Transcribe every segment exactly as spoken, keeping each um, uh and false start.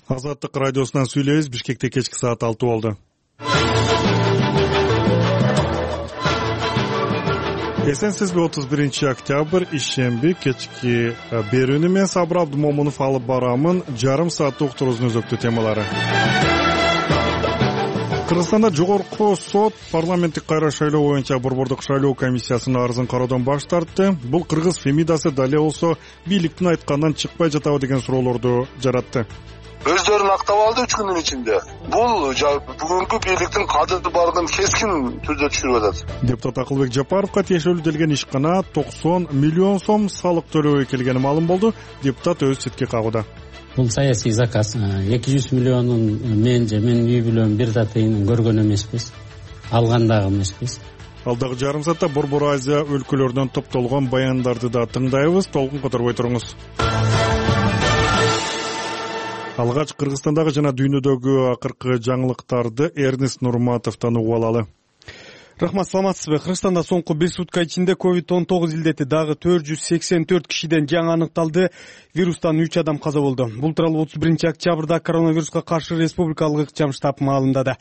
Азаттык радиосунан сүйлөйбүз. Бишкекте кечки саат алты болду. Эсенсизби? отуз биринчи октябрь ишемби кечки берүүнү мен Сабыр Абдымомунов алып барамын. Жарым сааттык уктуруубуздун өзөктүү темалары. Кыргызстанда жогорку сот парламенттик кайра шайлоо боюнча борбордук шайлоо комиссиясынын арызын кароодон баш тартты. Бул кыргыз фемидасы дале болсо бийликтин айтканынан чыкпай жатабы деген суроолорду жаратты. Өздөрүн актап алды үч күндүн ичинде. Бул бүгүнкү бийликтин кадыр бардыгын кескин түрдө түшүрүп атат. Депутат Акылбек Жапаровго тиешелүү делген ишкана токсон миллион сом салык төлөбөй келгени маалым болду. Депутат өз четке кагууда. Бул саясий заказ. эки жүз миллионун мен же менин үй бүлөм бир да тыйынын көргөн эмеспиз. Алган дагы эмеспиз. Ал дагы жарым саатта Борбор Азия өлкөлөрүнөн топтолгон баяндарды да тыңдайбыз. Толкун которбой туруңуз. Алгач Кыргызстандагы жана дүйнөдөгү акыркы жаңылыктарды Эрнест Нурматовдон угуп алалы. Рахмат, саламатсызбы? Кыргызстанда соңку бир сутка ичинде ковид он тогуз илдети дагы төрт жүз сексен төрт кишиден жаңы аныкталды. Вирустан үч адам каза болду. Бул тууралуу отуз биринчи октябрда коронавируска каршы республикалык ыкчам штаб маалымдады.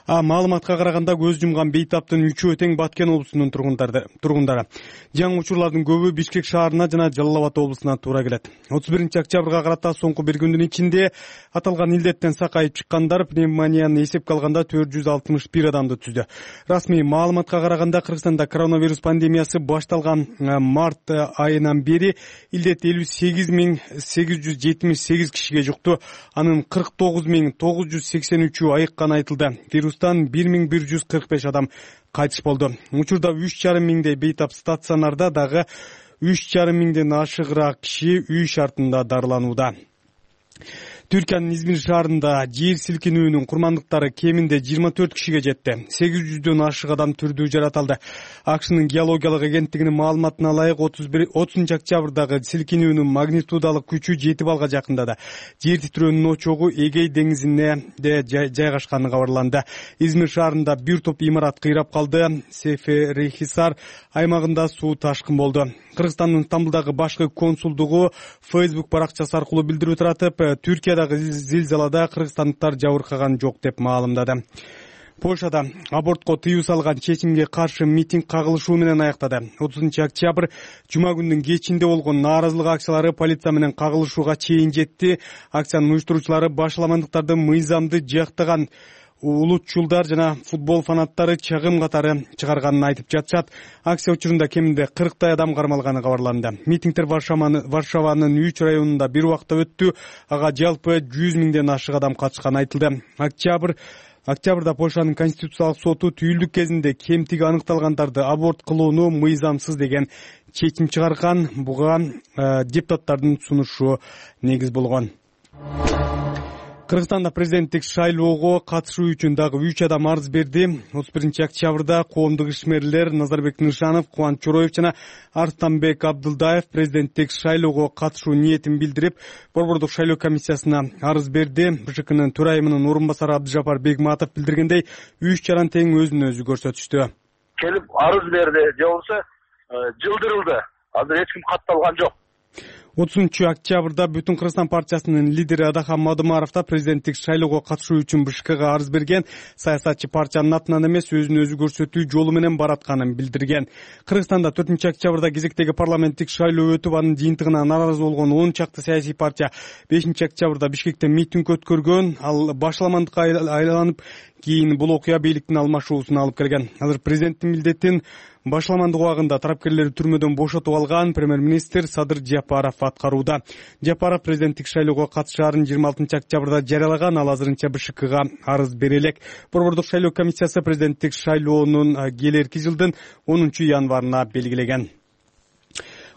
А маалыматка караганда көз жумган бейтаптын үчөө тең Баткен облусунун тургундары. Жаңы учурлардын көбү Бишкек шаарына жана Жалал Абад облусуна туура келет. отуз биринчи октябрга карата соңку бир күндүн ичинде аталган илдеттен сакайып чыккандар пневмонияны эсепке алганда төрт жүз алтымыш бир адамды түздү. Расмий маалыматка караганда Кыргызстанда коронавирус пандемиясы башталган март айынан бери илдет элүү сегиз миң сегиз жүз жетимиш сегиз кишиге жукту. Анын кырк тогуз миң тогуз жүз сексен үчү айыкканы айтылды. Вирустан бир миң бир жүз кырк беш адам кайтыш болду. Учурда үч жарым миңдей бейтап стационарда дагы үч жарым миңден ашыгыраак киши үй шартында дарыланууда. Түркиянын Измир шаарында жер силкинүүнүн курмандыктары кеминде жыйырма төрт кишиге жетти. сегиз жүздөн ашык адам түрдүү жаратылды. АКШнын геологиялык агенттигинин маалыматына ылайык отузунчу октябрдагы силкинүүнүн магнитудалык күчү жети балга жакындады. Жер титирөөнүн очогу Эгей деңизинде жайгашканы кабарланды. Измир шаарында бир топ имарат кыйрап калды. Сеферихисар аймагында суу ташкын болду. Кыргызстандын Стамбулдагы башкы консулдугу Facebook баракчасы аркылуу билдирип туратып, Түркиядагы зилзалада кыргызстандыктар жабыркаган жок деп маалымдады. Польшада абортко тыюу салган чечимге каршы митинг кагылышуу менен аяктады. отузунчу октябрь жума күндүн кечинде болгон нааразылык акциялары полиция менен кагылышууга чейин жетти. Акциянын уюштуруучулары башаламандыктарды мыйзамды жактаган улутчулдар жана футбол фанаттары чагым катары чыгарганын айтып жатышат. Акция учурунда кеминде кырктай адам кармалганы кабарланды. Митингдер Варшаванын үч районунда бир убакта өттү. Ага жалпы жүз миңден ашык адам катышканы айтылды. Октябрь Октябрда Польшанын конституциялык соту түйүлдүк кезинде кемтиги аныкталгандарды аборт кылууну мыйзамсыз деген чечим чыгарган. Буга э, депутаттардын сунушу негиз болгон. Кыргызстанда президенттик шайлоого катышуу үчүн дагы үч адам арыз берди. отуз биринчи октябрда коомдук ишмерлер Назарбек Нышанов, Кубанч Чороев жана Арстанбек Абдылдаев президенттик шайлоого катышуу ниетин билдирип, борбордук шайлоо комиссиясына арыз берди. БШКнын төрайымынын орун басары Абдыжапар Бегматов билдиргендей, үч жаран тең өзүн өзү көрсөтүштү. Келип арыз берди, же болбосо жылдырылды. Азыр эч ким катталган жок. отузунчу октябрда Бүтүн Кыргызстан партиясынын лидери Адахан Мадымаров да президенттик шайлоого катышуу үчүн БШКга арыз берген. Саясатчы партиянын атынан эмес, өзүн өзү көрсөтүү жолу менен баратканын билдирген. Кыргызстанда төртүнчү октябрда кезектеги парламенттик шайлоо өтүп, анын жыйынтыгына нааразы болгон он чакты саясий партия бешинчи октябрда Бишкекте митинг өткөргөн. Ал башаламандыкка айланып, кийин бул окуя бийликтин алмашуусуна алып келген. Азыр президенттин милдетин башаламандык убагында тарапкерлери түрмөдөн бошотуп алган премьер-министр Садыр Жапаров аткарууда. Жапаров президенттик шайлоого катышаарын жыйырма алтынчы октябрда жарыялаган. Ал азырынча БШКга арыз бере элек. Борбордук шайлоо комиссиясы президенттик шайлоонун келерки жылдын онунчу январына белгилеген.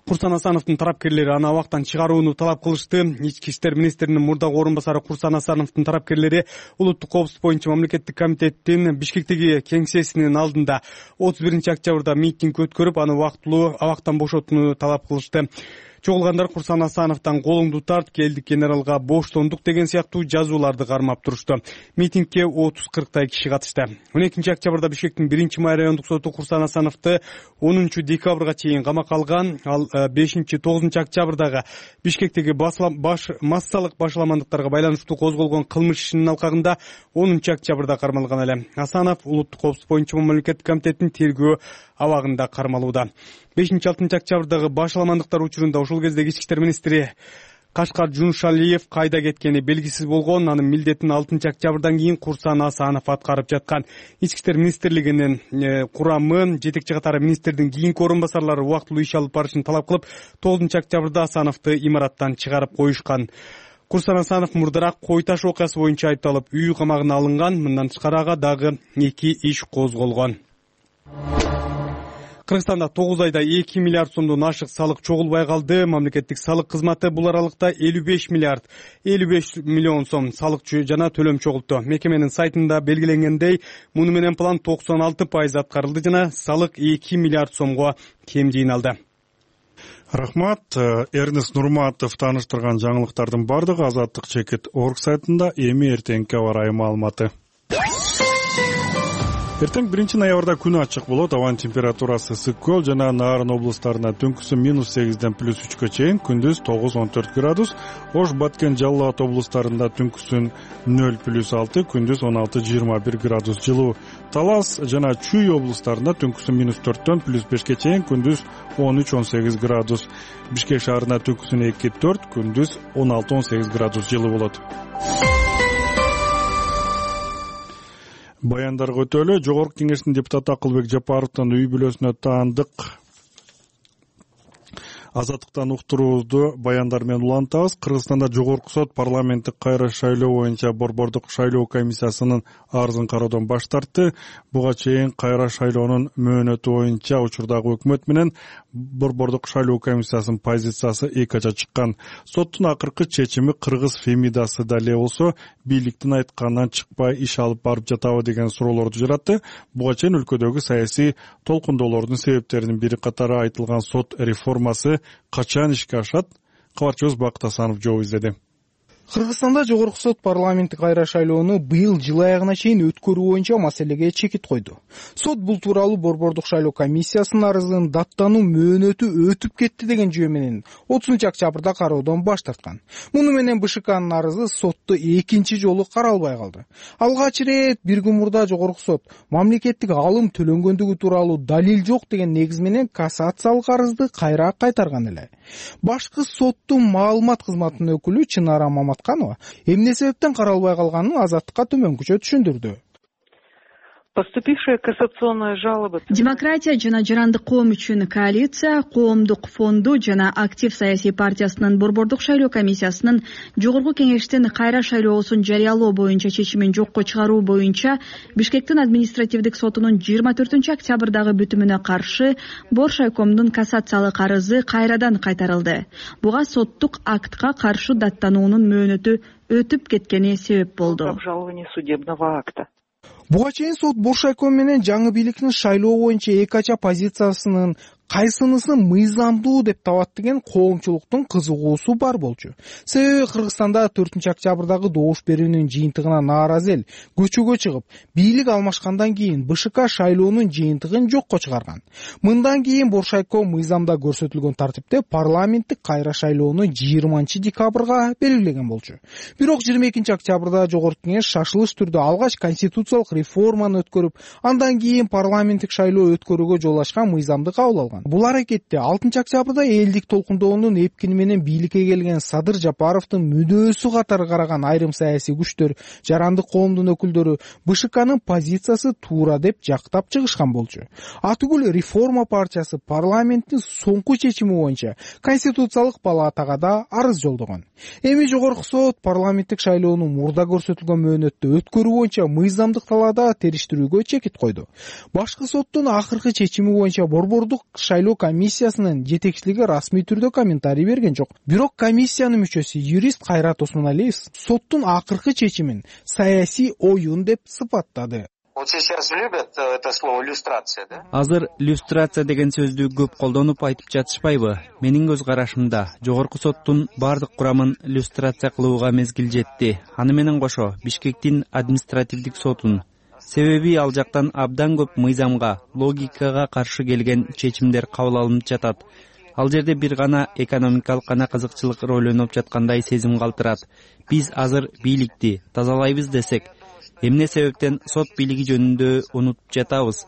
Курсан Асановдун тарапкерлери аны абактан чыгарууну талап кылышты. Ички иштер министринин мурдагы орун басары Курсан Асановдун тарапкерлери улуттук коопсуздук боюнча мамлекеттик комитеттин Бишкектеги кеңсесинин алдында отуз биринчи октябрда митинг өткөрүп, аны убактылуу абактан бошотууну талап кылышты. Чогулгандар Курсан Асановдон колуңду тарт, келдик генералга боштондук деген сыяктуу жазууларды кармап турушту. Митингге отуз кырктай киши катышты. он экинчи октябрда Бишкектин биринчи май райондук соту Курсан Асановду онунчу декабрга чейин камакка алган. Ал бешинчи тогузунчу октябрдагы Бишкектеги баш массалык башаламандыктарга байланыштуу козголгон кылмыш ишинин алкагында онунчу октябрда кармалган эле. Асанов улуттук коопсуздук боюнча мамлекеттик комитеттин тергөө абагында кармалууда. бешинчи алтынчы октябрдагы башаламандыктар учурунда ошол кездеги ички иштер министри Кашкар Жуншалиев кайда кеткени белгисиз болгон. Анын милдетин алтынчы октябрдан кийин Курсан Асанов аткарып жаткан. Ички иштер министрлигинин курамы жетекчи катары министрдин кийинки орун басарлары убактылуу иш алып барышын талап кылып, тогузунчу октябрда Асановду имараттан чыгарып коюшкан. Курсан Асанов мурдараак кой таш окуясы боюнча айыпталып үй камагына алынган. Мындан тышкары ага дагы эки иш козголгон. Кыргызстанда тогуз айда эки миллиард сомдон ашык салык чогулбай калды. Мамлекеттик салык кызматы бул аралыкта элүү беш миллиард элүү беш миллион сом салык жана төлөм чогултту. Мекеменин сайтында белгиленгендей, муну менен план токсон алты пайыз аткарылды жана салык эки миллиард сомго кем жыйналды. Рахмат. Эрнест Нурматов тааныштырган жаңылыктардын бардыгы Азаттык чекит орг сайтында. Эми эртеңки аба ырайы маалыматы. Эртең биринчи ноябрда күн ачык болот. Абанын температурасы ысык көл жана Нарын облустарына түнкүсү минус сегизден плюс үчкө чейин, күндүз тогуз он төрт градус. Ош, Баткен, Жалал Абад облустарында түнкүсүн нөл плюс алты, күндүз он алты жыйырма бир градус жылуу. Талас жана Чүй облустарында түнкүсү минус төрттөн плюс бешке чейин, күндүз он үч он сегиз градус. Бишкек шаарына түнкүсүн эки төрт, күндүз он алты он сегиз градус жылуу болот. Баяндарга өтөлү. Жогорку кеңештин депутаты Акылбек Жапаровдун үй бүлөсүнө таандык Азаттыктан уктуруубузду баяндар менен улантабыз. Кыргызстанда Жогорку сот парламенттик кайра шайлоо боюнча борбордук шайлоо комиссиясынын арызын кароодон баш тартты. Буга чейин кайра шайлоонун мөөнөтү боюнча учурдагы өкмөт менен борбордук шайлоо комиссиясынын позициясы эки ача чыккан. Соттун акыркы чечими кыргыз Фемидасы да эле болсо бийликтин айтканынан чыкпай иш алып барып жатабы деген суроолорду жаратты. Буга чейин өлкөдөгү саясий толкундоолордун себептеринин бири катары айтылган сот реформасы качан ишке ашат? Кабарчыбыз Бакыт Асанов жооп издеди. Кыргызстанда Жогорку сот парламенттик кайра шайлоону быйыл жыл аягына чейин өткөрүү боюнча маселеге чекит койду. Сот бул тууралуу борбордук шайлоо комиссиясынын арызын даттануу мөөнөтү өтүп кетти деген жөө менен отузунчу октябрда кароодон баш тарткан. Муну менен БШКнын арызы сотто экинчи жолу каралбай калды. Алгач ирет бир күн мурда Жогорку сот мамлекеттик алым төлөнгөндүгү тууралуу далил жок деген негиз менен кассациялык арызды кайра кайтарган эле. Башкы соттун маалымат кызматынын өкүлү Чынара Маматканова эмне себептен каралбай калганын Азаттыкка төмөнкүчө түшүндүрдү. Поступившая кассационная жалоба. Демократия жана жарандык коом үчүн коалиция, коомдук фонду жана актив саясий партиясынын борбордук шайлоо комиссиясынын жогорку кеңештин кайра шайлоосун жарыялоо боюнча чечимин жокко чыгаруу боюнча Бишкектин административдик сотунун жыйырма төртүнчү октябрдагы бүтүмүнө каршы Боршайкомдун кассациялык арызы кайрадан кайтарылды. Буга соттук актка каршы даттануунун мөөнөтү өтүп кеткени себеп болду. Обжалование судебного акта. Буга чейин сот Боршайком менен жаңы бийликтин шайлоо боюнча эки ача позициясынын кайсынысы мыйзамдуу деп табат деген коомчулуктун кызыгуусу бар болчу. Себеби Кыргызстанда төртүнчү октябрдагы добуш берүүнүн жыйынтыгына нааразы эл көчөгө чыгып, бийлик алмашкандан кийин БШК шайлоонун жыйынтыгын жокко чыгарган. Мындан кийин Боршайком мыйзамда көрсөтүлгөн тартипте парламенттик кайра шайлоону жыйырманчы декабрга белгилеген болчу. Бирок жыйырма экинчи октябрда Жогорку кеңеш шашылыш түрдө алгач конституциялык реформаны өткөрүп, андан кийин парламенттик шайлоо өткөрүүгө жол ачкан мыйзамды кабыл алган. Бул аракетте алтынчы октябрда элдик толкундоонун эпкини менен бийликке келген Садыр Жапаровдун мүдөөсү катары караган айрым саясий күчтөр, жарандык коомдун өкүлдөрү БШКнын позициясы туура деп жактап чыгышкан болчу. Атүгүл реформа партиясы парламенттин соңку чечими боюнча конституциялык палатага да арыз жолдогон. Эми Жогорку сот парламенттик шайлоону мурда көрсөтүлгөн мөөнөттө өткөрүү боюнча мыйзамдык талаада териштирүүгө чекит койду. Башкы соттун акыркы чечими боюнча борбордук шайлоо комиссиясынын жетекчилиги расмий түрдө комментарий берген жок. Бирок комиссиянын мүчөсү юрист Кайрат Осмоналиев соттун акыркы чечимин саясий оюн деп сыпаттады. Вот сейчас любят это слово люстрация, да? Азыр люстрация деген сөздү көп колдонуп айтып жатышпайбы? Менин көз карашымда жогорку соттун бардык курамын люстрация кылууга мезгил жетти. Аны менен кошо Бишкектин административдик сотун. Себеби ал жактан абдан көп мыйзамга, логикага каршы келген чечимдер кабыл алынып жатат. Ал жерде бир гана экономикалык гана кызыкчылык рөлөнүп жаткандай сезим калтырат. Биз азыр бийликти тазалайбыз десек, эмне себептен сот бийлиги жөнүндө унутуп жатабыз?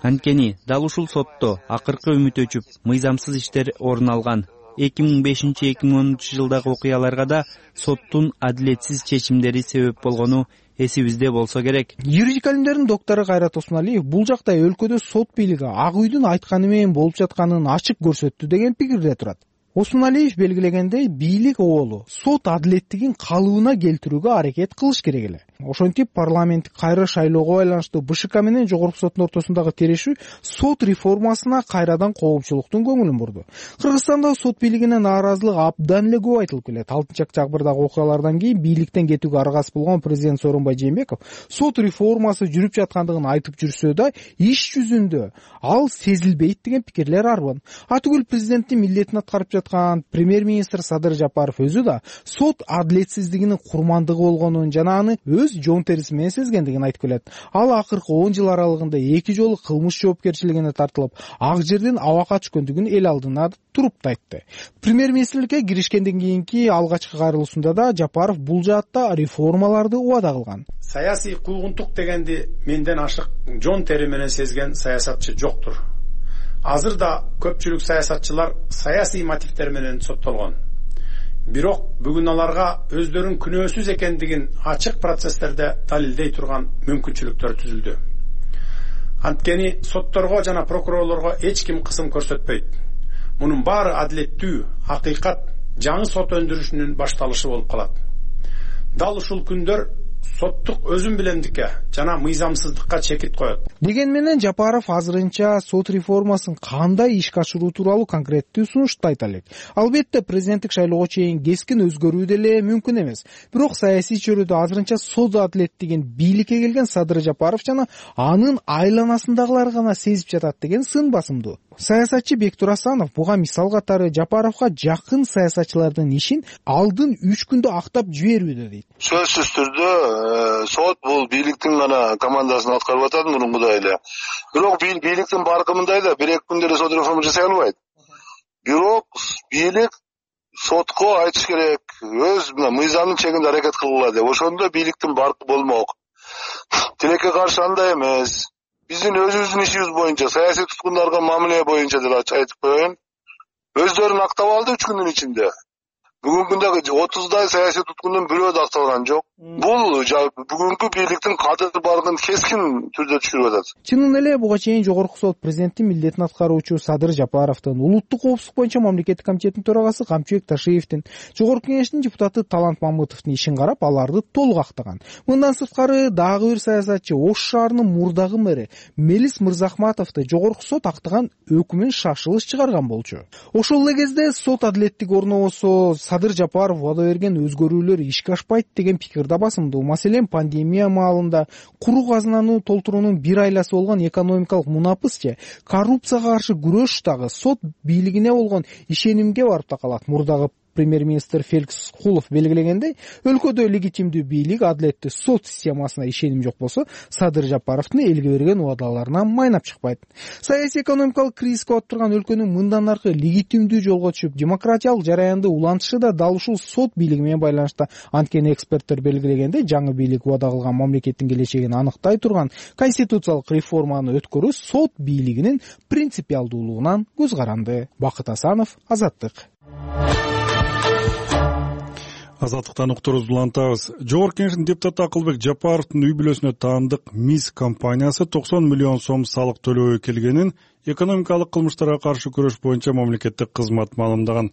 Анткени дал ушул сотто акыркы үмүт өчүп, мыйзамсыз иштер орун алган. эки миң бешинчи эки миң онунчу жылдагы окуяларга да соттун адилетсиз чечимдери себеп болгону эсибизде болсо керек. Юридика илимдеринин доктору Кайрат Осмоалиев бул жакта өлкөдө сот бийлиги Ак үйдүн айтканы менен болуп жатканын ачык көрсөттү деген пикирде турат. Осмоалиев белгилегендей, бийлик оолу сот адилеттигин калыбына келтирүүгө аракет кылыш керек эле. Ошентип парламенттик кайра шайлоого байланыштуу БШК менен жогорку соттун ортосундагы терешүү сот реформасына кайрадан коомчулуктун көңүлүн бурду. Кыргызстанда сот бийлигине нааразылык абдан эле көп айтылып келет. алтынчы октябрдагы окуялардан кийин бийликтен кетүүгө аргасыз болгон президент Сооронбай Жээнбеков сот реформасы жүрүп жаткандыгын айтып жүрсө да, иш жүзүндө ал сезилбейт деген пикирлер арбын. Атүгүл президенттин милдетин аткарып жаткан премьер-министр Садыр Жапаров өзү да сот адилетсиздигинин курмандыгы болгонун жана аны өз жон териси менен сезгендигин айтып келет. Ал акыркы он жыл аралыгында эки жолу кылмыш жоопкерчилигине тартылып, ак жерден абакка түшкөндүгүн эл алдына туруп да айтты. Премьер-министрликке киришкенден кийинки алгачкы кайрылуусунда да Жапаров бул жаатта реформаларды убада кылган. Саясий куугунтук дегенди менден ашык жон тери менен сезген саясатчы жоктур. Азыр да көпчүлүк саясатчылар саясий мотивдер менен соттолгон. Бирок бүгүн аларга өздөрүнүн күнөөсүз экендигин ачык процесстерде далилдей турган мүмкүнчүлүктөр түзүлдү. Анткени сотторго жана прокурорлорго эч ким кысым көрсөтпөйт. Мунун баары адилеттүү, акыйкат, жаңы сот өндүрүшүнүн башталышы болуп калат. Дал ушул күндөр соттук өзүн билемдикке жана мыйзамсыздыкка чекит коет. Деген менен Жапаров азырынча сот реформасын кандай ишке ашыруу тууралуу конкреттүү сунушту айта элек. Албетте президенттик шайлоого чейин кескин өзгөрүү деле мүмкүн эмес. Бирок саясий чөйрөдө азырынча сот адилеттигин бийликке келген Садыр Жапаров жана анын айланасындагылар гана сезип жатат деген сын басымдуу. Саясатчы Бектур Асанов буга мисал катары Жапаровго жакын саясатчылардын ишин алдын үч күндө актап жиберүүдө дейт. Сөзсүз түрдө сот бул бийликтин гана командасын аткарып атат мурункудай эле. Бирок бийликтин баркымындай да бир эки күндө сот реформа жасай албайт. Бирок бийлик сотко айтыш керек, өз мыйзамдын чегинде аракет кылгыла деп. Ошондо бийликтин баркы болмок. Тилекке каршы андай эмес. Биздин өзүбүздүн ишибиз боюнча, саясий туткундарга мамиле боюнча деп айтып коеюн. Өздөрүн актап алды үч күндүн ичинде. Бүгүнкү күндө отуздай саясий туткундун бирөө да акталган жок. Бул бүгүнкү бийликтин кадыр бардыгын кескин түрдө түшүрүп атат. Чынын эле буга чейин жогорку сот президенттин милдетин аткаруучу Садыр Жапаровдун, улуттук коопсуздук боюнча мамлекеттик комитеттин төрагасы Камчыбек Ташиевдин, жогорку кеңештин депутаты Талант Мамытовдун ишин карап, аларды толук актаган. Мындан сырткары дагы бир саясатчы Ош шаарынын мурдагы мэри Мелис Мырзахматовду жогорку сот актаган өкүмүн шашылыш чыгарган болчу. Ошол эле кезде сот адилеттик орнобосо Садыр Жапаров убада берген өзгөрүүлөр ишке ашпайт деген пикир да басымдуу. Маселен, пандемия маалында куру казынаны толтуруунун бир айласы болгон экономикалык мунапыс же коррупцияга каршы күрөш дагы сот бийлигине болгон ишенимге барып такалат. Мурдагы премьер-министр Феликс Кулов белгилегендей, өлкөдө легитимдүү бийлик, адилеттүү сот системасына ишеним жок болсо, Садыр Жапаровдун элге берген убадаларына майнап чыкпайт. Саясий экономикалык кризиске батып турган өлкөнүн мындан аркы легитимдүү жолго түшүп, демократиялык жараянды улантышы да дал ушул сот бийлиги менен байланышта. Анткени эксперттер белгилегендей, жаңы бийлик убада кылган мамлекеттин келечегин аныктай турган конституциялык реформаны өткөрүү сот бийлигинин принципиалдуулугунан көз каранды. Бакыт Асанов, Азаттык. Азаттыктан уктурубузду улантабыз. Жогорку кеңештин депутаты Акылбек Жапаровдун үй бүлөсүнө таандык МИС компаниясы токсон миллион сом салык төлөбөй келгенин экономикалык кылмыштарга каршы күрөш боюнча мамлекеттик кызмат маалымдаган.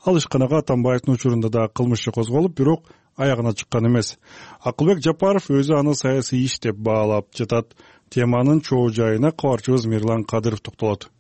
Ал ишканага Атамбаевдин учурунда да кылмыш козголуп, бирок аягына чыккан эмес. Акылбек Жапаров өзү аны саясий иш деп баалап жатат. Теманын чоо жайына кабарчыбыз Мирлан Кадыров токтолот.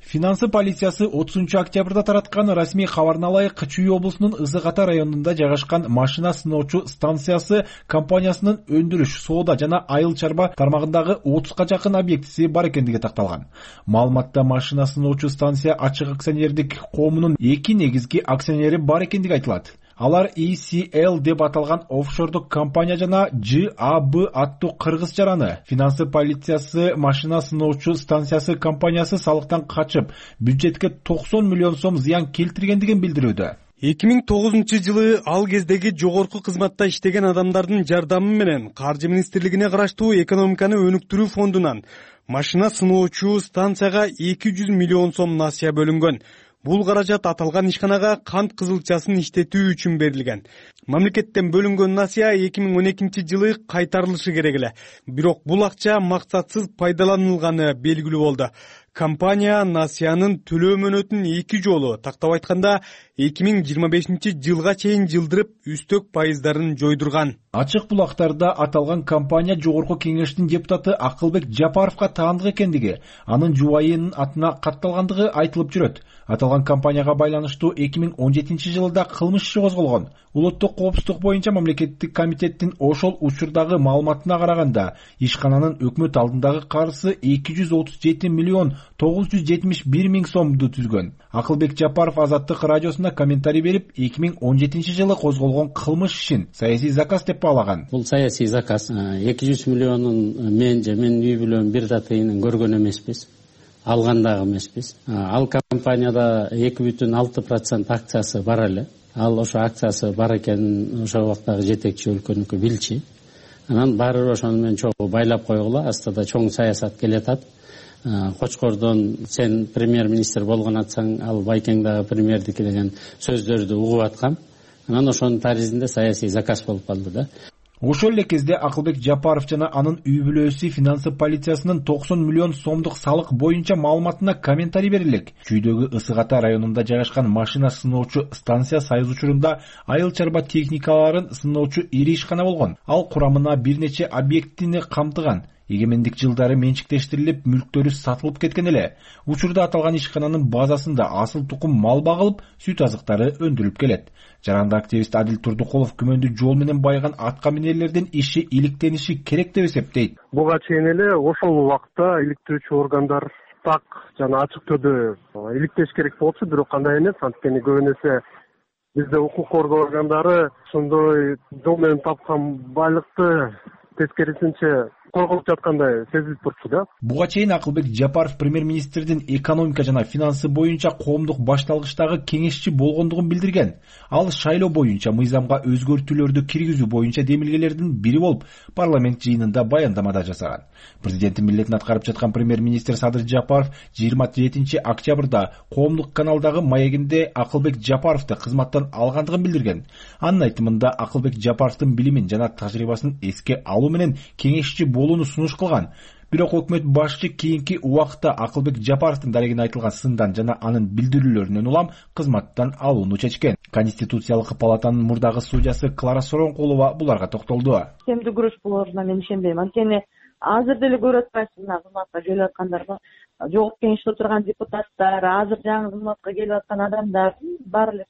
Финансы полициясы отузунчу октябрда тараткан расмий кабарына ылайык Чүй облусунун Ысык Ата районунда жайгашкан машина сыноочу станциясы компаниясынын өндүрүш, соода жана айыл чарба тармагындагы отузга жакын объектиси бар экендиги такталган. Маалыматта машина сыноочу станция ачык акционердик коомунун эки негизги акционери бар экендиги айтылат. Алар и си эл деп аталган офшордук компания жана жэ а бэ аттуу кыргыз жараны. Финансы полициясы машина сыноочу станциясы компаниясы салыктан качып, бюджетке токсон миллион сом зыян келтиргендигин билдирүүдө. эки миң тогузунчу жылы ал кездеги жогорку кызматта иштеген адамдардын жардамы менен Каржы министрлигине караштуу экономиканы өнүктүрүү фондунан машина сыноочу станцияга эки жүз миллион сом насыя бөлүнгөн. Бул каражат аталган ишканага кант кызылчасын иштетүү үчүн берилген. Мамлекеттен бөлүнгөн насыя эки миң он экинчи жылы кайтарылышы керек эле. Бирок бул акча максатсыз пайдаланылганы белгилүү болду. Компания насыянын төлөө мөөнөтүн эки жолу, тактап айтканда эки миң жыйырма бешинчи жылга чейин жылдырып, үстөк пайыздарын жойдурган. Ачык булактарда аталган компания жогорку кеңештин депутаты Акылбек Жапаровго таандык экендиги, анын жубайынын атына катталгандыгы айтылып жүрөт. Аталган компанияга байланыштуу эки миң он жетинчи жылда кылмыш иши козголгон. Улуттук коопсуздук боюнча мамлекеттик комитеттин ошол учурдагы маалыматына караганда, ишкананын өкмөт алдындагы карызы эки жүз отуз жети миллион тогуз жүз жетимиш бир миң сомду түзгөн. Акылбек Жапаров Азаттык радиосуна комментарий берип, эки миң он жетинчи жылы козголгон кылмыш ишин саясий заказ деп баалаган. Бул саясий заказ. эки жүз миллионун мен же менин үй бүлөм бир да тыйынын көргөн эмеспиз. Алган дагы эмеспиз. Ал компанияда эки бүтүн алты процент акциясы бар эле. Ал ошо акциясы бар экенин ошол убактагы жетекчи өлкөнүкү билчү. Анан баары ошону менен чогуу байлап койгула, астада чоң саясат келатат. Кочкордон сен премьер-министр болгон атсаң, ал Байкең дагы премьердики деген сөздөрдү угуп аткам. Анан ошонун таризинде саясий заказ болуп калды да. Ошол эле кезде Акылбек Жапаров жана анын үй бүлөсү финансы полициясынын токсон миллион сомдук салык боюнча маалыматына комментарий берилек. Чүйдөгү Ысык Ата районунда жайгашкан машина сыноочу станция сайыз учурунда айыл чарба техникаларын сыноочу ири ишкана болгон. Ал курамына бир нече объектини камтыган. Эгемендик жылдары менчиктештирилип, мүлктөрү сатылып кеткен эле. Учурда аталган ишкананын базасында асыл тукум мал багылып, сүт азыктары өндүрүлүп келет. Жаранды активист Адил Турдукулов күмөндүү жол менен байыган атка минерлердин иши иликтениши керек деп эсептейт. Буга чейин эле ошол убакта иликтирүүчү органдар так жана ачык түрдө иликтеш керек болчу, бирок кандай эмес, анткени көбүнесе бизде укук коргоо органдары ошондой жол менен тапкан байлыкты тескерисинче корголуп жаткандай сезилип турчу да. Буга чейин Акылбек Жапаров премьер-министрдин экономика жана финансы боюнча коомдук башталгычтагы кеңешчи болгондугун билдирген. Ал шайлоо боюнча мыйзамга өзгөртүүлөрдү киргизүү боюнча демилгелердин бири болуп, парламент жыйынында баяндамада жасаган. Президенттин милдетин аткарып жаткан премьер-министр Садыр Жапаров жыйырма жетинчи октябрда коомдук каналдагы маегинде Акылбек Жапаровду кызматтан алгандыгын билдирген. Анын айтымында Акылбек Жапаровдун билимин жана тажрыйбасын эске алуу менен кеңешчи болууну сунуш кылган. Бирок өкмөт башчы кийинки убакта Акылбек Жапаровдун дарегине айтылган сындан жана анын билдирүүлөрүнөн улам кызматтан алууну чечкен. Конституциялык палатанын мурдагы судьясы Клара Соронкулова буларга токтолду. Темдүү күрөш болоруна мен ишенбейм. Анткени азыр деле көрүп атпайсыз, мына кызматка келип аткандарга, жогорку кеңеште отурган депутаттар, азыр жаңы кызматка келип аткан адамдар бар эле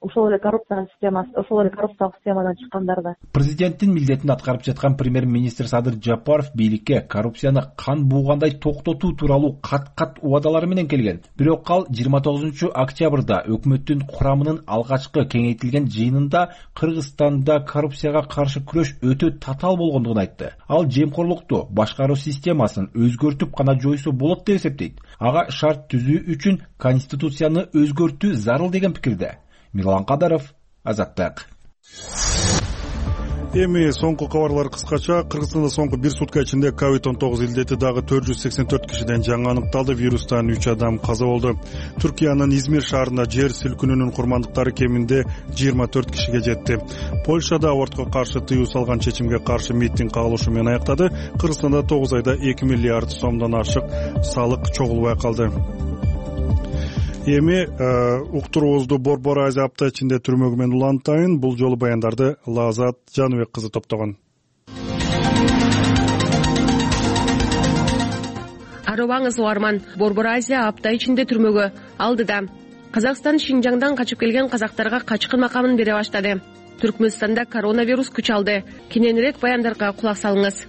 ошол эле коррупциянын системасы, ошол эле коррупциялык системадан чыккандар да. Президенттин милдетин аткарып жаткан премьер-министр Садыр Жапаров бийликке коррупцияны кан буугандай токтотуу тууралуу кат-кат убадалары менен келген. Бирок ал жыйырма тогузунчу октябрда өкмөттүн курамынын алгачкы кеңейтилген жыйынында Кыргызстанда коррупцияга каршы күрөш өтө татаал болгондугун айтты. Ал жемкорлукту башкаруу системасын өзгөртүп гана жойсо болот деп эсептейт. Ага шарт түзүү үчүн конституцияны өзгөртүү зарыл деген пикирде. Мирлан Кадаров, Азаттык. Эми соңку кабарлар кыскача. Кыргызстанда соңку бир сутка ичинде ковид он тогуз илдети дагы төрт жүз сексен төрт кишиден жаңы аныкталды. Вирустан үч адам каза болду. Түркиянын Измир шаарында жер силкинүүнүн курмандыктары кеминде жыйырма төрт кишиге жетти. Польшада абортко каршы тыюу салган чечимге каршы митинг кагылышы менен аяктады. Кыргызстанда тогуз айда эки миллиард сомдон ашык салык чогулбай калды. Эми уктуруубузду Борбор Азия апта ичинде түрмөгү менен улантайын. Бул жолу баяндарды Лазат Жаныбек кызы топтогон. арыбаңыз угарман, Борбор Азия апта ичинде түрмөгө алдыда. Казакстан Шинжаңдан качып келген казактарга качкын макамын бере баштады. Түркмөнстанда коронавирус күч алды. Кененирээк баяндарга кулак салыңыз.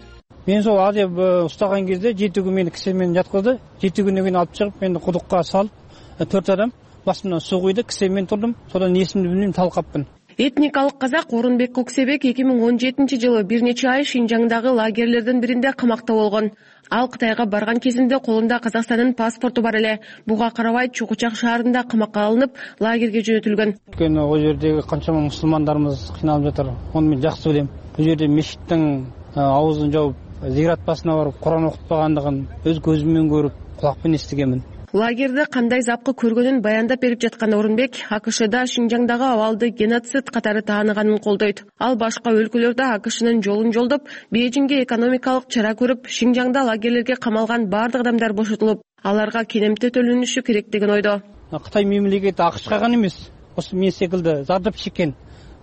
Мен сол Азия устаган кезде жети күн мени кисе менен жаткызды. жети күндөн кийин алып чыгып, мени кудукка салып, төрт адам басымдан суу куйду, кисе менен турдум. Содан эсимди билбейм, талкаппын. Этникалык казак Орунбек Коксебек эки миң он жетинчи жылы бир нече ай Шинжаңдагы лагерлердин биринде камакта болгон. Ал Кытайга барган кезинде колунда Казакстандын паспорту бар эле. Буга карабай Чукучак шаарында камакка алынып, лагерге жөнөтүлгөн. Өйткөнү ал жердеги канчама мусулмандарыбыз кыйналып жатыр. Аны мен жакшы билем. Бул жерде мешиттин аузун жауып, зират басына барып Куран окутпагандыгын өз көзүм менен көрүп, кулак менен эстегенмин. Лагерде кандай запкы көргөнүн баяндап берип жаткан Орунбек АКШда Шинжаңдагы абалды геноцид катары тааныганын колдойт. Ал башка өлкөлөрдө АКШнын жолун жолдоп, Бейжиңге экономикалык чара көрүп, Шинжаңда лагерлерге камалган бардык адамдар бошотулуп, аларга кенемте төлөнүшү керек деген ойдо. Кытай мемлекети АКШга гана эмес, осы мен секилди зардап чеккен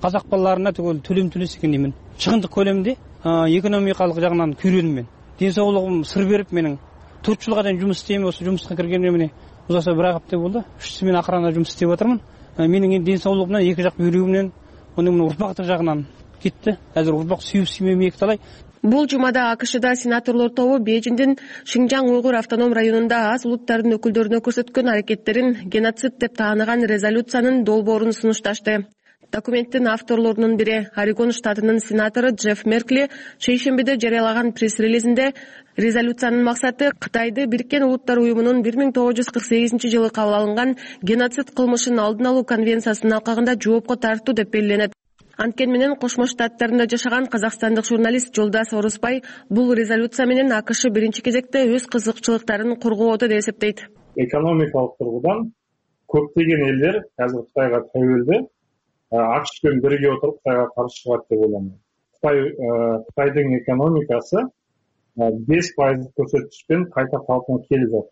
казак балдарына түгөл төлөм төлөсө экен деймин. Чыгындык көлөмдө экономикалык жагынан күйрөнүм мен. Ден соолугум сыр берип менин төрт жылга чейин жумуш истейм, осы жумушка киргенимде міне узаса бир ай апта болду. үч мен акырында жумуш иштеп атырмын. Менин ден соолугумдан эки жак бүйрөгүмнөн, онун урпактык жагынан кетти. Азыр урпак сүйүп сүймөм эки талай. Бул жумада АКШда сенаторлор тобу Бейжиңдин Шинжаң уйгур автоном районунда аз улуттардын өкүлдөрүнө көрсөткөн аракеттерин геноцид деп тааныган резолюциянын долбоорун сунушташты. Документтин авторлорунун бири Орегон штатынын сенатору Джефф Меркли шейшембиде жарыялаган пресс-релизинде резолюциянын максаты Кытайды Бириккен Улуттар уюмунун бир миң тогуз жүз кырк сегизинчи жылы кабыл алынган геноцид кылмышын алдын алуу конвенциясынын алкагында жоопко тартуу деп белгиленет. Анткени менен Кошмо Штаттарында жашаган казакстандык журналист Жолдас Орусбай бул резолюция менен АКШ биринчи кезекте өз кызыкчылыктарын коргоодо деп эсептейт. Экономикалык тургудан көптөгөн элдер азыр Кытайга тәуелди. АКШ менен бирге отуруп Кытайга каршы чыгат деп ойлойм. Кытай Кытайдын экономикасы беш пайыздык көрсөткүчтөн кайта калпына келип жатат.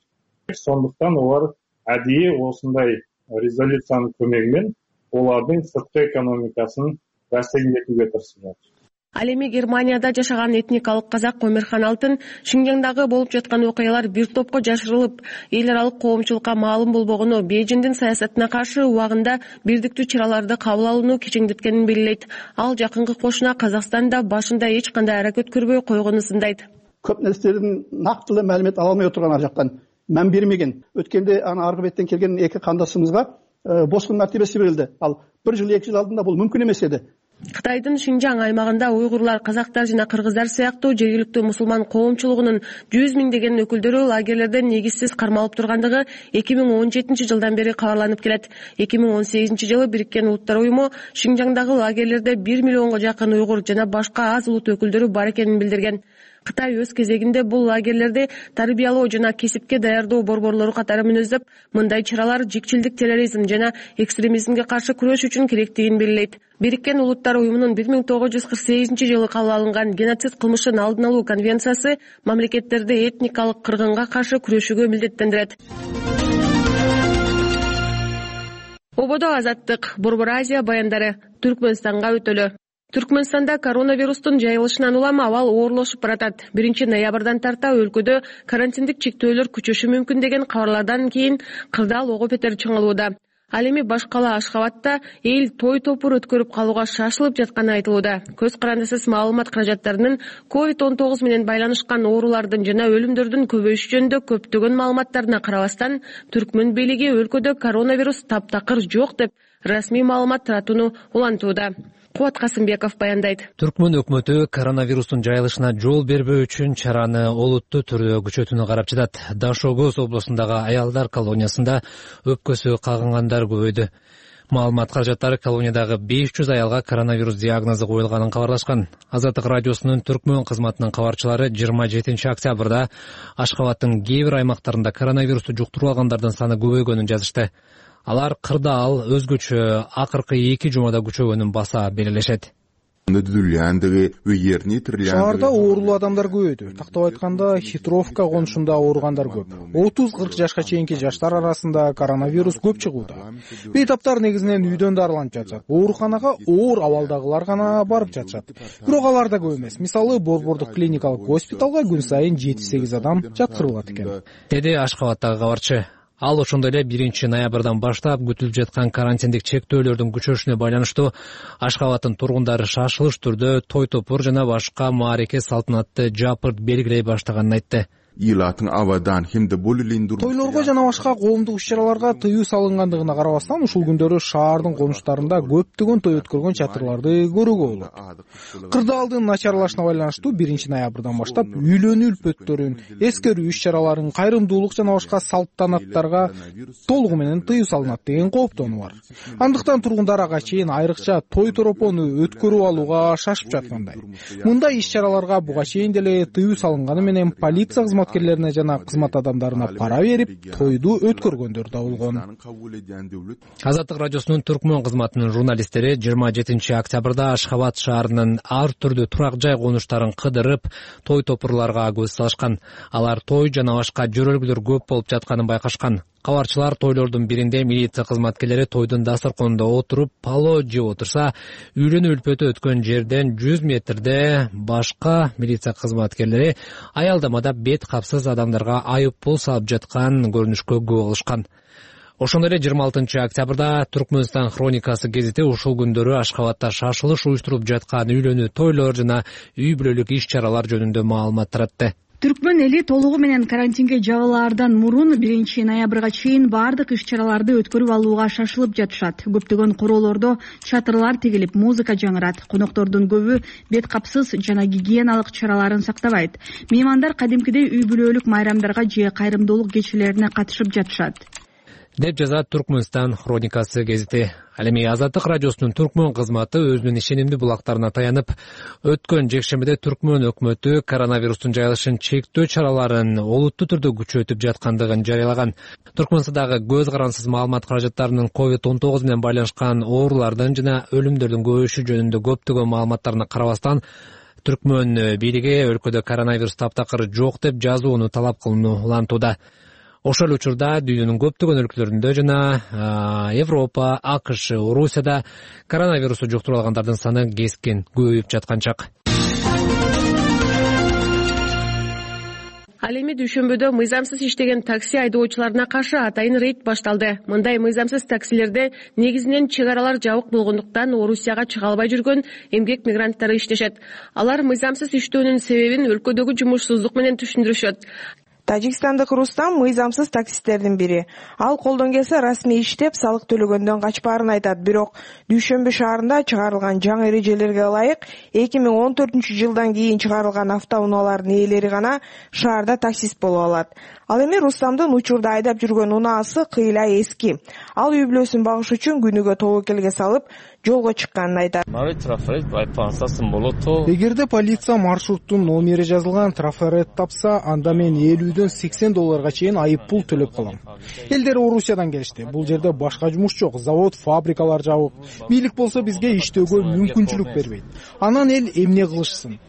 Сондуктан олар адийи осундай резолюциянын көмөгү менен олардын сырткы экономикасын бәсекелетүүгө тырышып жатат. Ал эми Германияда жашаган этникалык казак Өмөрхан Алтын Шинжаңдагы болуп жаткан окуялар бир топко жашырылып, эл аралык коомчулукка маалым болбогону, Бейжиңдин саясатына каршы убагында бирдиктүү чараларды кабыл алууну кичиңдеткенин белгилейт. Ал жакынкы кошуна Казакстанда башында эч кандай аракет көрбөй койгонун сындайт. Көп нерселердин нактылуу маалымат ала албай отурган ар жактан мән бермеген. Өткөндө аны аркы беттен келген эки кандашыбызга бошкун мартебеси берилди. Ал бир жыл эки жыл алдында бул мүмкүн эмес эди. Кытайдын Шинжаң аймагында уйгурлар, казактар жана кыргыздар сыяктуу жергиликтүү мусулман коомчулугунун жүз миңдеген өкүлдөрү лагерлерден негизсиз кармалып тургандыгы эки миң он жетинчи жылдан бери кабарланып келет. эки миң он сегизинчи жылы Бириккен Улуттар уюму Шинжаңдагы лагерлерде бир миллионго жакын уйгур жана башка аз улут өкүлдөрү бар экенин билдирген. Кытай өз кезегинде бул лагерлерди тарбиялоо жана кесипке даярдоо борборлору катары мүнөздөп, мындай чаралар жикчилдик, терроризм жана экстремизмге каршы күрөш үчүн керектигин белгилейт. Бириккен Улуттар уюмунун бир миң тогуз жүз кырк сегизинчи жылы кабыл алынган геноцид кылмышын алдын алуу конвенциясы мамлекеттерди этникалык кыргынга каршы күрөшүүгө милдеттендирет. Ободо азаттык, Борбор Азия баяндары, Түркмөнстанга өтөлү. Түркмөнстанда коронавирустун жайылышынан улам абал оорлошуп баратат. биринчи ноябрдан тарта өлкөдө карантиндик чектөөлөр күчөшү мүмкүн деген кабарлардан кийин кырдаал ого бетер чыңалууда. Ал эми башкала Ашхабадта эл той топур өткөрүп калууга шашылып жатканы айтылууда. Көз карандысыз маалымат каражаттарынын ковид он тогуз менен байланышкан оорулардын жана өлүмдөрдүн көбөйүшү жөнүндө көптөгөн маалыматтарына карабастан, Түркмөн бийлиги өлкөдө коронавирус таптакыр жок деп расмий маалымат таратууну улантууда. Кубат Касымбеков баяндайт. Түркмөн өкмөтү коронавирустун жайылышына жол бербөө үчүн чараны олуттуу түрдө күчөтүүнү карап жатат. Дашогоз облусундагы аялдар колониясында өпкөсү кагынгандар көбөйдү. Маалымат каражаттары колониядагы беш жүз аялга коронавирус диагнозу коюлганын кабарлашкан. Азаттык радиосунун Түркмөн кызматынын кабарчылары жыйырма жетинчи октябрда Ашхабадтын кээ бир аймактарында коронавирусту жуктуруп алгандардын саны көбөйгөнүн жазышты. Алар кырдаал өзгөчө акыркы эки жумада күчөгөнүн баса белгилешет. Шаарда оорулуу адамдар көбөйдү. Тактап айтканда, Хитровка конушунда ооругандар көп. отуз кырк жашка чейинки жаштар арасында коронавирус көп чыгууда. Бейтаптар негизинен үйдөн дарыланып жатышат. Ооруканага оор абалдагылар гана барып жатышат. Бирок алар да көп эмес. Мисалы, Борбордук клиникалык госпиталга күн сайын жети сегиз адам жаткырылат экен, деди Ашкабаттагы кабарчы. Ал ошондой эле биринчи ноябрдан баштап күтүлүп жаткан карантиндик чектөөлөрдүн күчөшүнө байланыштуу Ашкабаттын тургундары шашылыш түрдө той топур жана башка маареке салтанатты жапырт белгилей баштаганын айтты. Тойлорго жана башка коомдук иш-чараларга тыюу салынгандыгына карабастан, ушул күндөрү шаардын конуштарында көптөгөн той өткөргөн чатырларды көрүүгө болот. Кырдаалдын начарлашына байланыштуу биринчи ноябрдан баштап үйлөнүү үлпөттөрүн, эскерүү иш-чараларын, кайрымдуулук жана башка салтанаттарга толугу менен тыюу салынат деген кооптонуу бар. Андыктан тургундар ага чейин айрыкча той торопону өткөрүп алууга шашып жаткандай. Мындай иш-чараларга буга чейин деле тыюу салынганы менен полиция кызматкерлерине жана кызмат адамдарына пара берип, тойду өткөргөндөр да болгон. Азаттык радиосунун Түркмөн кызматынын журналисттери жыйырма жетинчи октябрда Ашхабад шаарынын ар түрдүү турак жай конуштарын кыдырып, той топурларга көз салышкан. Алар той жана башка жөрөлгүлөр көп болуп жатканын байкашкан. Кабарчылар тойлордун биринде милиция кызматкерлери тойдун дасторконунда отуруп пало жеп отурса, үйлөнүү үлпөтү өткөн жерден жүз метрде башка милиция кызматкерлери аялдамада бет капсыз адамдарга айып пул салып жаткан көрүнүшкө күбө болушкан. Ошондой эле жыйырма алтынчы октябрда Түркмөнстан хроникасы гезити ушул күндөрү Ашкабадда шашылыш уюштуруп жаткан үйлөнүү тойлор жана үй бүлөлүк иш-чаралар жөнүндө маалымат таратты. Түркмөн эли толугу менен карантинге жабылаардан мурун биринчи ноябрга чейин баардык иш-чараларды өткөрүп алууга шашылып жатышат. Көптөгөн короолордо чатырлар тигилип, музыка жаңырат. Коноктордун көбү бет капсыз жана гигиеналык чараларын сактабайт. Меймандар кадимкидей үй бүлөлүк майрамдарга же кайрымдуулук кечелерине катышып жатышат, деп жазат Түркмөнстан хроникасы гезити. Ал эми Азаттык радиосунун Түркмөн кызматы өзүнүн ишенимдүү булактарына таянып, өткөн жекшембиде Түркмөн өкмөтү коронавирустун жайылышын чектөө чараларын олуттуу түрдө күчөтүп жаткандыгын жарыялаган. Түркмөнстандагы көз карансыз маалымат каражаттарынын ковид он тогуз менен байланышкан оорулардын жана өлүмдөрдүн көбөйүшү жөнүндө көптөгөн маалыматтарына карабастан, Түркмөн бийлиги өлкөдө коронавирус таптакыр жок деп жазууну талап кылууну улантууда. Ошол учурда дүйнөнүн көптөгөн өлкөлөрүндө жана Европа, АКШ, Орусияда коронавирусту жуктуруп алгандардын саны кескин көбөйүп жаткан чак. Ал эми дүйшөмбүдө мыйзамсыз иштеген такси айдоочуларына каршы атайын рейд башталды. Мындай мыйзамсыз таксилерде негизинен чек аралар жабык болгондуктан Орусияга чыга албай жүргөн эмгек мигранттары иштешет. Алар мыйзамсыз иштөөнүн себебин өлкөдөгү жумушсуздук менен түшүндүрүшөт. Тажикстандык Рустам мыйзамсыз таксисттердин бири. Ал колдон келсе расмий иштеп, салык төлөгөндөн качпаарын айтат. Бирок Дүйшөмбү шаарында чыгарылган жаңы эрежелерге ылайык эки миң он төртүнчү жылдан кийин чыгарылган автоунаалардын ээлери гана шаарда таксист боло алат. Ал эми Рустамдын учурда айдап жүргөн унаасы кыйла эски. Ал үй бүлөсүн багыш үчүн күнүгө тобокелге салып, жолго чыкканын айтат. Эгерде полиция маршруттун номери жазылган трафарет тапса, анда мен элүүдөн сексен долларга чейин айып пул төлөп калам. Элдер Орусиядан келишти. Бул жерде башка жумуш жок, завод, фабрикалар жабык. Бийлик болсо бизге иштөөгө мүмкүнчүлүк бербейт. Анан эл эмне кылышсын?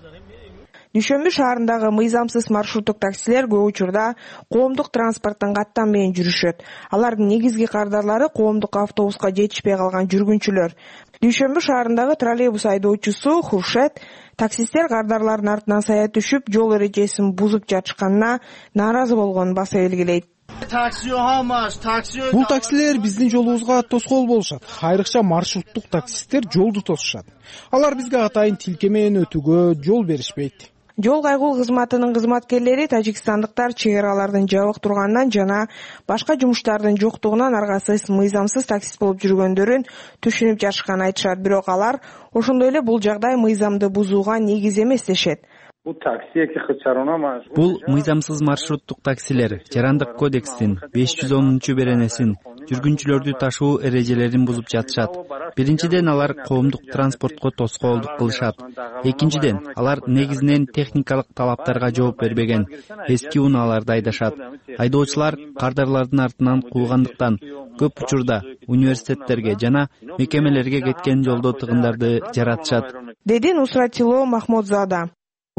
Дүйшөмбү шаарындагы мыйзамсыз маршруттук таксилер көп учурда коомдук транспорттун каттан менен жүрүшөт. Алардын негизги кардарлары коомдук автобуска жетишпей калган жүргүнчүлөр. Дүйшөмбү шаарындагы троллейбус айдоочусу Хуршет таксисттер кардарлардын артынан сая түшүп, жол эрежесин бузуп жатышканына нааразы болгонун баса белгилейт. Бул таксилер биздин жолубузга тоскоол болушат. Айрыкча маршруттук таксисттер жолду тосушат. Алар бизге атайын тилке менен өтүүгө жол беришпейт. Жол кайгуу кызматынын кызматкерлери тажикстандыктар чек аралардын жабык турганынан жана башка жумуштардын жоктугунан аргасыз мыйзамсыз таксист болуп жүргөндөрүн түшүнүп жатышканын айтышат. Бирок алар ошондой эле бул жагдай мыйзамды бузууга негиз эмес дешет. Бул мыйзамсыз маршруттук таксилер Жарандык кодекстин беш жүз онунчу беренесин жүргүнчүлөрдү ташуу эрежелерин бузуп жатышат. Биринчиден, алар коомдук транспортко тоскоолдук кылышат. Экинчиден, алар негизинен техникалык талаптарга жооп бербеген эски унааларды айдашат. Айдоочулар кардарлардын артынан куугандыктан көп учурда университеттерге жана мекемелерге кеткен жолдо тыгындарды жаратышат, деди Нусратило Махмудзада.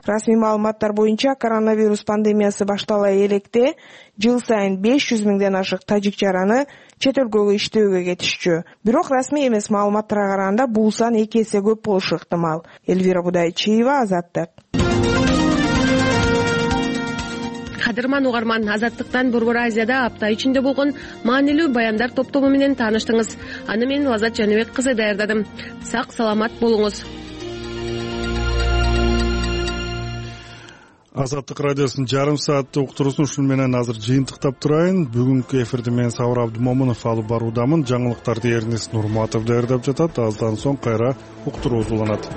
Расмий маалыматтар боюнча коронавирус пандемиясы баштала электе жыл сайын беш жүз миңден ашык тажик жараны чет өлкөгө иштөөгө кетишчү. Бирок расмий эмес маалыматтарга караганда бул сан эки эсе көп болушу ыктымал. Элвира Будайчиева, Азаттык. Кадырман угарман, Азаттыктан Борбор Азияда апта ичинде болгон маанилүү баяндар топтому менен тааныштыңыз. Аны мен Лазат Жаныбек кызы даярдадым. Сак саламат болуңуз. Азаттык радиосунун жарым сааттык уктуруусун ушун менен азыр жыйынтыктап турайын. Бүгүнкү эфирди мен Сабыр Абдымомунов алып баруудамын. Жаңылыктарды Эрнис Нурматов даярдап жатат. Аздан соң кайра уктуруубуз уланат.